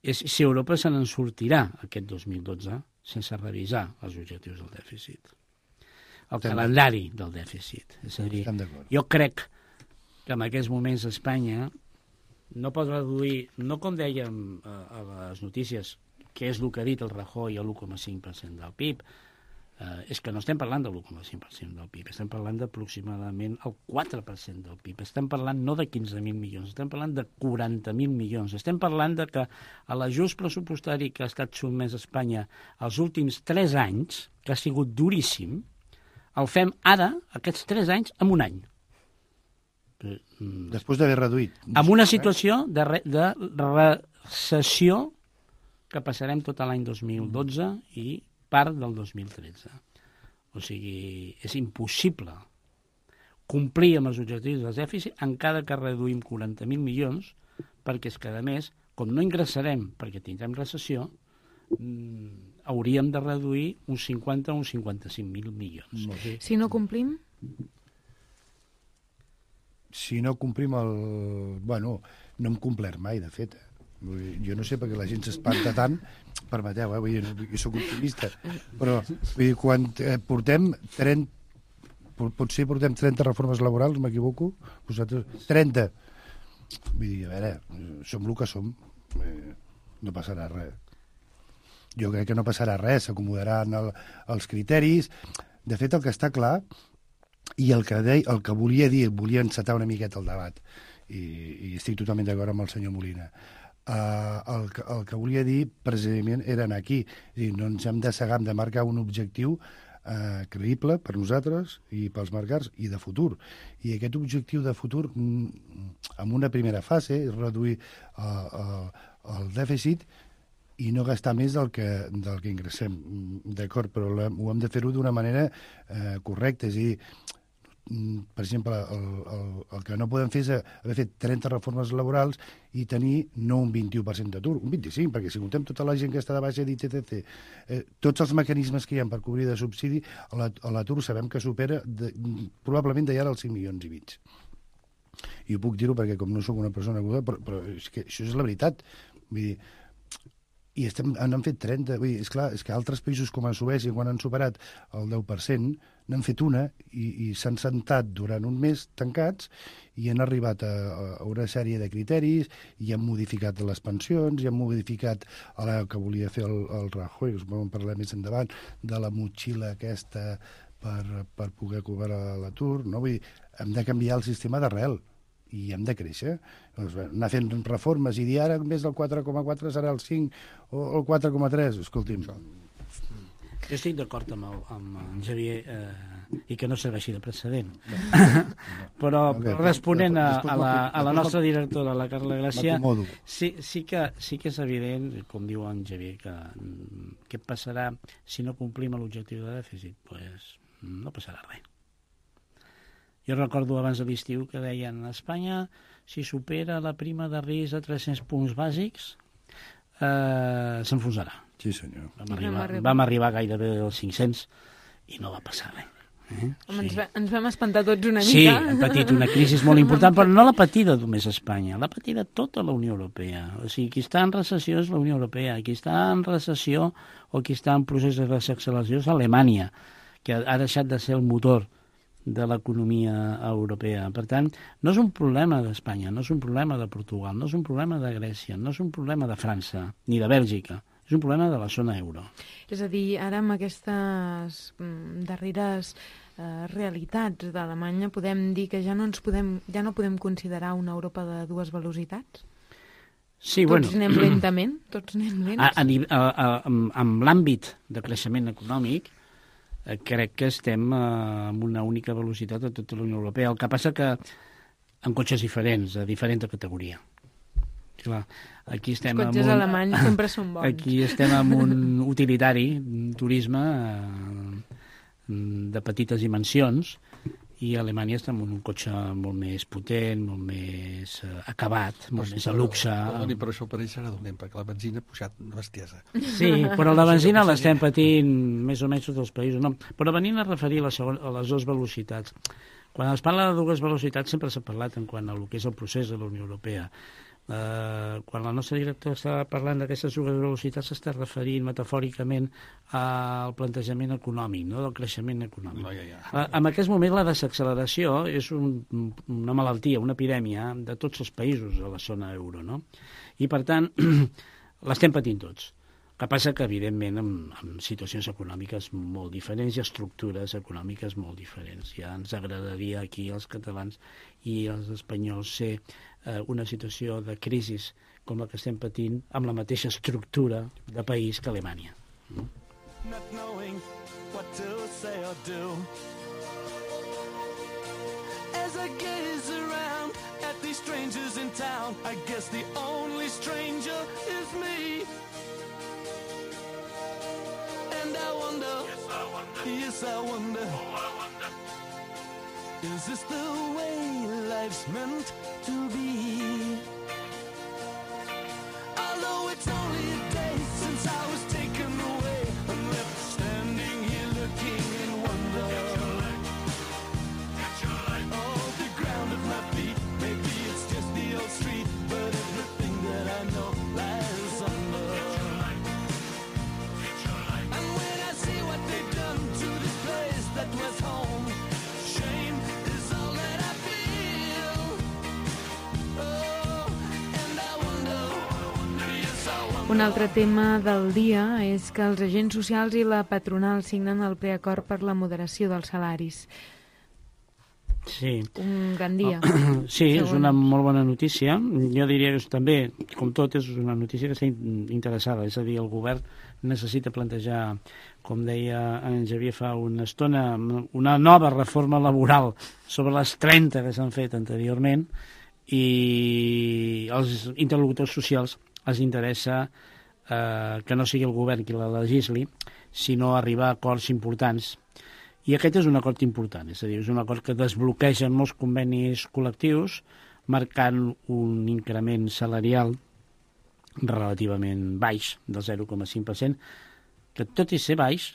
és si Europa se n'en sortirà aquest 2012 sense revisar els objectius del dèficit. El calendari del dèficit. És a dir, jo crec que en aquests moments Espanya no pot reduir, no com dèiem a les notícies, que és el que ha dit el Rajoy, a l'1,5% del PIB, és que no estem parlant de l'1,5% del PIB, estem parlant d'aproximadament el 4% del PIB. Estem parlant no de 15.000 milions, estem parlant de 40.000 milions. Estem parlant de que l'ajust pressupostari que ha estat sotmès a Espanya els últims 3 anys, que ha sigut duríssim, el fem ara, aquests 3 anys, en un any. Després d'haver reduït. Amb una situació de recessió que passarem tot l'any 2012 i part del 2013. O sigui, és impossible complir amb els objectius del dèficit encara que reduïm 40.000 milions, perquè és que, a més, com no ingressarem perquè tindrem recessió, hauríem de reduir uns 50 o uns 55.000 milions. Si no complim? Si no complim el... Bueno, no hem complert mai, de fet. Jo no sé per què la gent s'espanta tant, permeteu, vull dir, jo soc optimista, però vull dir, quan portem 30 reformes laborals, m'equivoco? Vosaltres, 30. Vull dir, a veure, som el que som, no passarà res. Jo crec que no passarà res, s'acomodaran els criteris. De fet, el que està clar, i el que volia dir, volia encetar una miqueta el debat, i estic totalment d'acord amb el senyor Molina, el que volia dir precisament era anar aquí. És a dir, no ens hem de cegar, hem de marcar un objectiu creïble per nosaltres i pels mercats i de futur. I aquest objectiu de futur, en una primera fase, és reduir el dèficit i no gastar més del que ingressem. D'acord, però ho hem de fer-ho d'una manera correcta. És a dir, per exemple, el que no podem fer és haver fet 30 reformes laborals i tenir no un 21% d'atur, un 25%, perquè si comptem tota la gent que està de baixa d'ITTC, tots els mecanismes que hi ha per cobrir de subsidi, l'atur sabem que supera probablement d'ara els 5,5 milions. I ho puc dir-ho perquè com no sóc una persona aguda, però és que això és la veritat. Vull dir, i n'han fet 30. Vull dir, és que altres països com a Suècia, quan han superat el 10%, n'han fet una i s'han sentat durant un mes tancats i han arribat a una sèrie de criteris i han modificat les pensions i han modificat el que volia fer el Rajoy, us vam parlar més endavant, de la motxilla aquesta per poder cobrar l'atur. No? Vull dir, hem de canviar el sistema d'arrel i hem de créixer. Doncs, anar fent reformes i dir ara en vez del 4,4 serà el 5 o el 4,3. Escolti'm. Jo estic d'acord amb en Xavier i que no serveixi de precedent. Però responent a la nostra directora, la Carla Gràcia, sí que és evident, com diu en Xavier, que què passarà si no complim l'objectiu de dèficit? Pues no passarà res. Jo recordo abans de l'estiu que deien a Espanya, si supera la prima de risc de 300 punts bàsics, s'enfonsarà. Sí, senyor. Vam arribar gairebé als 500 i no va passar res. Home, sí. Ens vam espantar tots una mica. Sí, hem patit una crisi molt important, però no l'ha patida només Espanya, l'ha patida tota la Unió Europea. O sigui, qui està en recessió és la Unió Europea, qui està en recessió o qui està en procés de desacceleració és Alemanya, que ha deixat de ser el motor de l'economia europea. Per tant, no és un problema d'Espanya, no és un problema de Portugal, no és un problema de Grècia, no és un problema de França, ni de Bèlgica, és un problema de la zona euro. És a dir, ara amb aquestes darreres realitats d'Alemanya podem dir que ja no podem considerar una Europa de dues velocitats? Sí, tots anem lentament? Tots anem lents? En l'àmbit de creixement econòmic, crec que estem amb una única velocitat a tota la Unió Europea. El que passa que amb cotxes diferents, de diferent categoria. Clar, aquí estem els cotxes alemanys sempre són bons. Aquí estem amb un utilitari, un turisme de petites dimensions, i a Alemanya està amb un cotxe molt més potent, molt més acabat, molt més a luxe. Perdoni, però això per ells serà dolent, perquè la benzina ha pujat una bestiesa. Sí, però la benzina l'estem patint més o menys tots els països. No? Però venint a referir a les dues velocitats. Quan es parla de dues velocitats sempre s'ha parlat en quant a el que és el procés de la Unió Europea. Quan la nostra directora està parlant d'aquestes dues velocitats s'està referint metafòricament al plantejament econòmic, no? Del creixement econòmic. En aquest moment la desacceleració és una malaltia, una epidèmia de tots els països de la zona euro, no? I per tant l'estem patint tots. El que passa que, evidentment, amb situacions econòmiques molt diferents i estructures econòmiques molt diferents. Ja ens agradaria aquí als catalans i als espanyols ser una situació de crisi com la que estem patint amb la mateixa estructura de país que Alemanya. Not knowing what to say or do. As I gaze around at these strangers in town, I guess the only stranger is me. And I wonder, yes I wonder, is this the way life's meant to be? Although it's only a day since I was taken away and left standing here looking in wonder. Oh, the ground at my feet, maybe it's just the old street, but everything that I know Un altre tema del dia és que els agents socials i la patronal signen el preacord per la moderació dels salaris. Sí. Un gran dia. Sí, és una molt bona notícia. Jo diria que també, com tot, és una notícia que està interessada. És a dir, el govern necessita plantejar, com deia en Xavier fa una estona, una nova reforma laboral sobre les 30 que s'han fet anteriorment, i als interlocutors socials els interessa que no sigui el govern qui la legisli, sinó arribar a acords importants. I aquest és un acord important, és a dir, és un acord que desbloqueja molts convenis col·lectius, marcant un increment salarial relativament baix, del 0,5%, que tot i ser baix,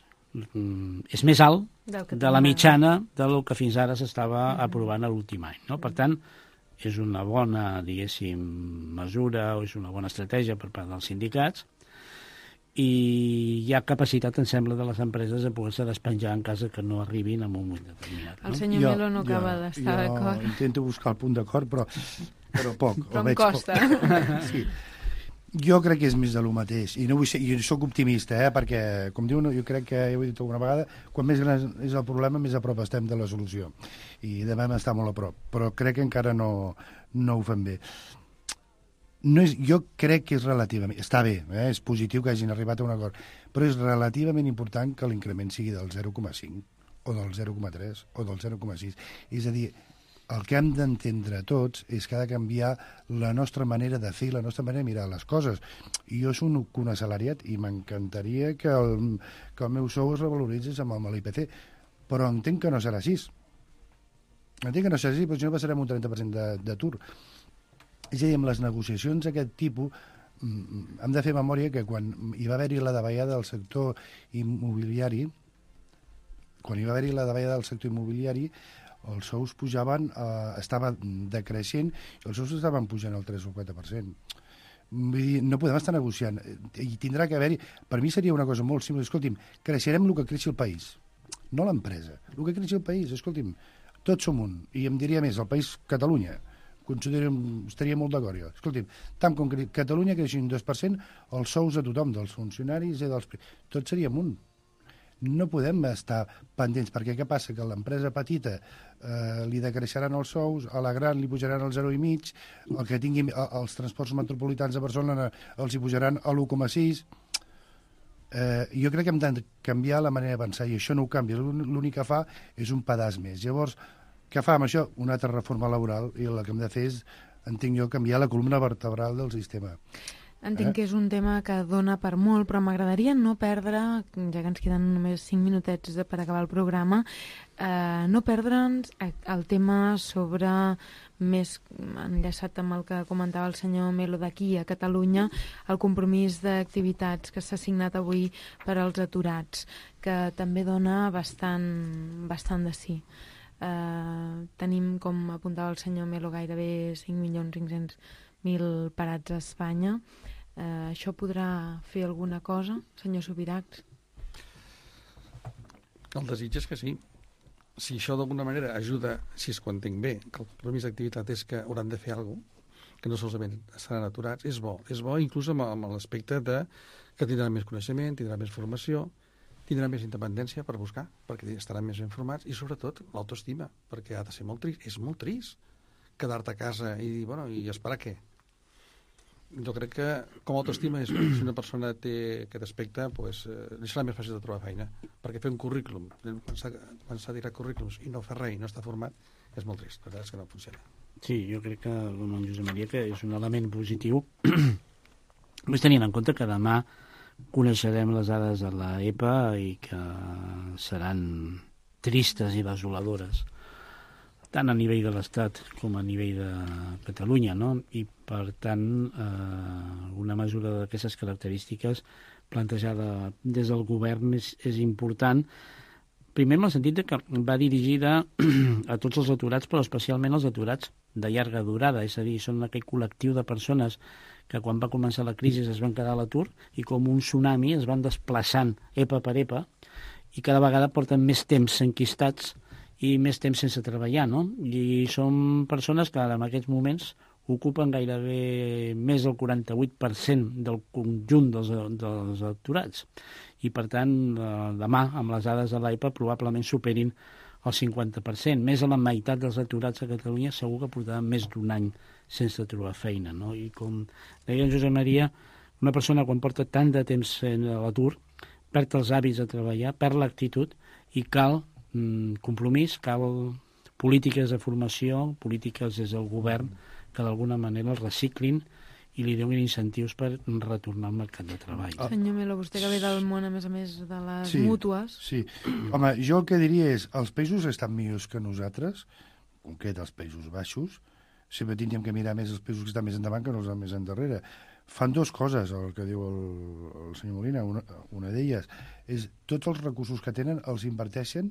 és més alt de la mitjana del que fins ara s'estava aprovant a l'últim any. No? Per tant, és una bona, diguéssim, mesura o és una bona estratègia per part dels sindicats, i hi ha capacitat, em sembla, de les empreses a poder-se despenjar en cas que no arribin en un moment determinat. No? El senyor Melo no acaba d'estar d'acord. Jo intento buscar el punt d'acord, però poc. Però em costa. Sí. Jo crec que és més de lo mateix, i no vull ser, jo soc optimista, perquè, com diu, jo crec que, ja ho he dit alguna vegada, quan més gran és el problema, més a prop estem de la solució, i devem estar molt a prop, però crec que encara no ho fem bé. Jo crec que és relativament, està bé, és positiu que hagin arribat a un acord, però és relativament important que l'increment sigui del 0,5, o del 0,3, o del 0,6, és a dir, el que hem d'entendre tots és que ha de canviar la nostra manera de fer, la nostra manera de mirar les coses. I jo soc un assalariat i m'encantaria que el meu sou es revaloritzés amb l'IPC, però entenc que no serà així. Entenc que no serà així, però si no passarem un 30% d'atur. És a dir, amb les negociacions d'aquest tipus, hem de fer memòria que quan hi va haver-hi la davallada del sector immobiliari, els sous pujaven, estava decreixent, i els sous estaven pujant al 3 o 4%. Vull dir, no podem estar negociant. I tindrà que haver-hi... Per mi seria una cosa molt simple. Escolti'm, creixerem el que creixi el país, no l'empresa. El que creixi el país, escolti'm, tots som un. I em diria més, el país Catalunya, estaria molt d'acord jo. Escolti'm, tant com Catalunya creixi un 2%, els sous a tothom, dels funcionaris i dels... Tots seríem un. No podem estar pendents, perquè què passa? Que a l'empresa petita li decreixeran els sous, a la gran li pujaran el 0,5, el que tingui els transports metropolitans de Barcelona els hi pujaran a l'1,6. Jo crec que hem de canviar la manera de pensar, i això no ho canvia. L'únic que fa és un pedaç més. Llavors, què fa amb això? Una altra reforma laboral, i el que hem de fer és, entenc jo, canviar la columna vertebral del sistema. Entenc que és un tema que dona per molt, però m'agradaria no perdre, ja que ens queden només 5 minutets per acabar el programa, no perdre'ns el tema sobre, més enllaçat amb el que comentava el senyor Melo d'aquí a Catalunya, el compromís d'activitats que s'ha signat avui per als aturats, que també dona bastant de sí. Tenim, com apuntava el senyor Melo, gairebé 5.500.000 parats a Espanya. Això podrà fer alguna cosa, senyor Subirachs? El desig és que sí. Si això d'alguna manera ajuda, si és quan entenc bé, que el compromís d'activitat és que hauran de fer alguna cosa, que no solament estaran aturats, és bo. És bo inclús amb l'aspecte de que tindran més coneixement, tindran més formació, tindran més independència per buscar, perquè estaran més informats, i sobretot l'autoestima, perquè ha de ser molt trist. És molt trist quedar-te a casa i dir, bueno, i esperar què? Jo crec que com a autoestima és, si una persona té aquest aspecte, doncs, li serà més fàcil de trobar feina, perquè fer un currículum, quan s'ha tirat currículums i no fer res i no està format, és molt trist, la veritat és que no funciona. Sí, jo crec que, com en Josep Maria, que és un element positiu, més tenint en compte que demà coneixerem les dades de l'EPA i que seran tristes i desoladores, tant a nivell de l'Estat com a nivell de Catalunya, no? I, per tant, una mesura d'aquestes característiques plantejada des del govern és important, primer en el sentit que va dirigida a tots els aturats, però especialment als aturats de llarga durada, és a dir, són aquell col·lectiu de persones que quan va començar la crisi es van quedar a l'atur i com un tsunami es van desplaçant EPA per EPA i cada vegada porten més temps enquistats i més temps sense treballar, no? I són persones que en aquests moments ocupen gairebé més del 48% del conjunt dels aturats. I, per tant, demà, amb les dades de l'AIPA, probablement superin el 50%. Més de la meitat dels aturats a Catalunya segur que portaran més d'un any sense trobar feina, no? I com deia en Josep Maria, una persona quan porta tant de temps a l'atur perd els hàbits de treballar, perd l'actitud i cal compromís, cal polítiques de formació, polítiques des del govern que d'alguna manera els reciclin i li donin incentius per retornar al mercat de treball. Senyor Melo, vostè que ve del món, a més de les mútues... Sí, home, jo el que diria és, els països estan millors que nosaltres, en concret els Països Baixos, sempre tindríem que mirar més els països que estan més endavant que no els més endarrere. Fan dues coses, el que diu el senyor Molina, una d'elles és tots els recursos que tenen els inverteixen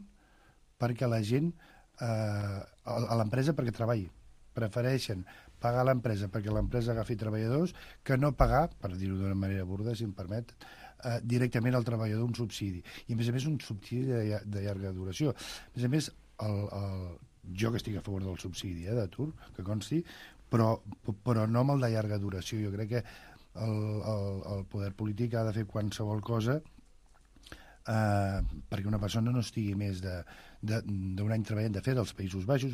perquè la gent, a l'empresa perquè treballi. Prefereixen pagar a l'empresa perquè l'empresa agafi treballadors que no pagar, per dir-ho d'una manera burda, si em permet, directament al treballador un subsidi. I a més un subsidi de llarga duració. A més, jo que estic a favor del subsidi d'atur, que consti, però no amb el de llarga duració. Jo crec que el poder polític ha de fer qualsevol cosa perquè una persona no estigui més d'un any treballant. De fet, als Països Baixos,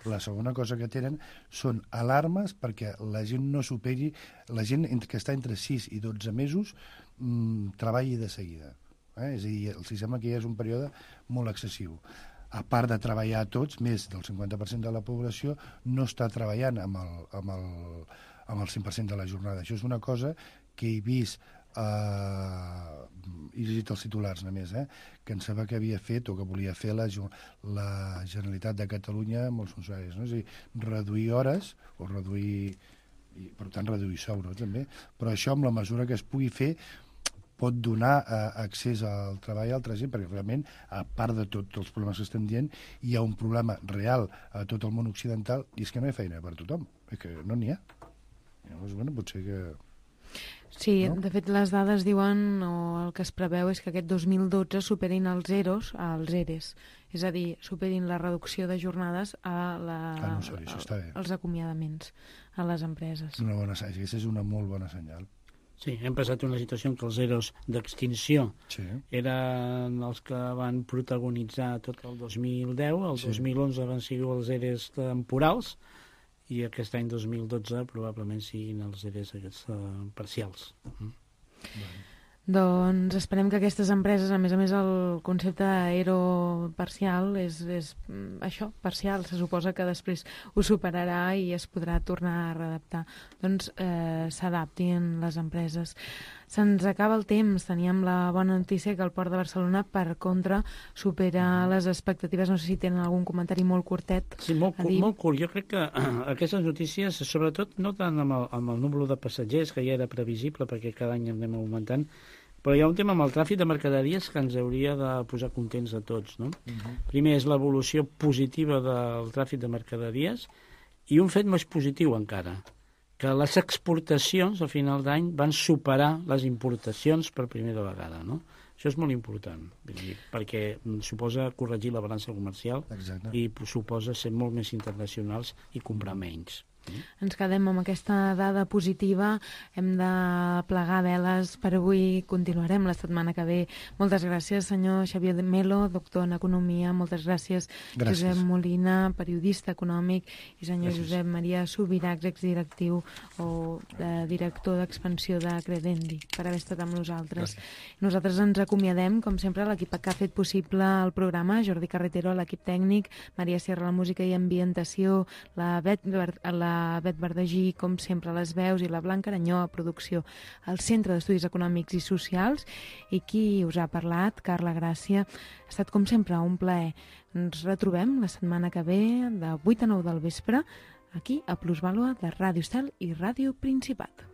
la segona cosa que tenen són alarmes perquè la gent no superi, la gent que està entre 6 i 12 mesos treballi de seguida. És a dir, els sembla que ja és un període molt excessiu. A part de treballar tots, més del 50% de la població no està treballant amb el 100% de la jornada. Això és una cosa que he vist, he llegit els titulars només, que em sembla que havia fet o que volia fer la Generalitat de Catalunya amb els funcionaris, no? És a dir, reduir hores o reduir, i per tant reduir sou, no? També, però això amb la mesura que es pugui fer pot donar accés al treball a altra gent, perquè realment, a part de tots els problemes que estem dient, hi ha un problema real a tot el món occidental, i és que no hi ha feina per tothom, és que no n'hi ha. Llavors, bueno, potser que... Sí, no? De fet, les dades diuen, o el que es preveu és que aquest 2012 superin els ERES, és a dir, superin la reducció de jornades als acomiadaments a les empreses. Una bona senyal, aquesta és una molt bona senyal. Sí, hem passat una situació en què els EROs d'extinció eren els que van protagonitzar tot el 2010, el 2011 van ser els EREs temporals, i aquest any 2012 probablement siguin els EREs aquests parcials. Doncs esperem que aquestes empreses, a més el concepte d'ERO parcial és això, parcial, se suposa que després ho superarà i es podrà tornar a readaptar. Doncs s'adaptin les empreses. Se'ns acaba el temps, teníem la bona notícia que el Port de Barcelona, per contra, supera les expectatives. No sé si tenen algun comentari molt curtet. Sí, molt curt. Jo crec que aquestes notícies, sobretot no tant amb el número de passatgers, que ja era previsible perquè cada any anem augmentant, però hi ha un tema amb el tràfic de mercaderies que ens hauria de posar contents a tots, no? Primer és l'evolució positiva del tràfic de mercaderies i un fet més positiu encara, que les exportacions a final d'any van superar les importacions per primera vegada, no? Això és molt important, perquè suposa corregir la balança comercial. Exacte. I suposa ser molt més internacionals i comprar menys. Ens quedem amb aquesta dada positiva, hem de plegar veles per avui, continuarem la setmana que ve. Moltes gràcies, senyor Xavier Melo, doctor en Economia, moltes gràcies. Josep Molina, periodista econòmic, i senyor Josep Maria Subirachs, exdirectiu o director d'expansió de Credendi, per haver estat amb nosaltres. Nosaltres ens acomiadem, com sempre, l'equip que ha fet possible el programa, Jordi Carretero, l'equip tècnic, Maria Sierra, la música i ambientació, la Bet Verdagí, com sempre, les veus, i la Blanca Aranyó a producció, al Centre d'Estudis Econòmics i Socials, i qui us ha parlat, Carla Gràcia. Ha estat, com sempre, un plaer. Ens retrobem la setmana que ve, de 8 a 9 del vespre, aquí a Plusvàlua de Ràdio Estel i Ràdio Principat.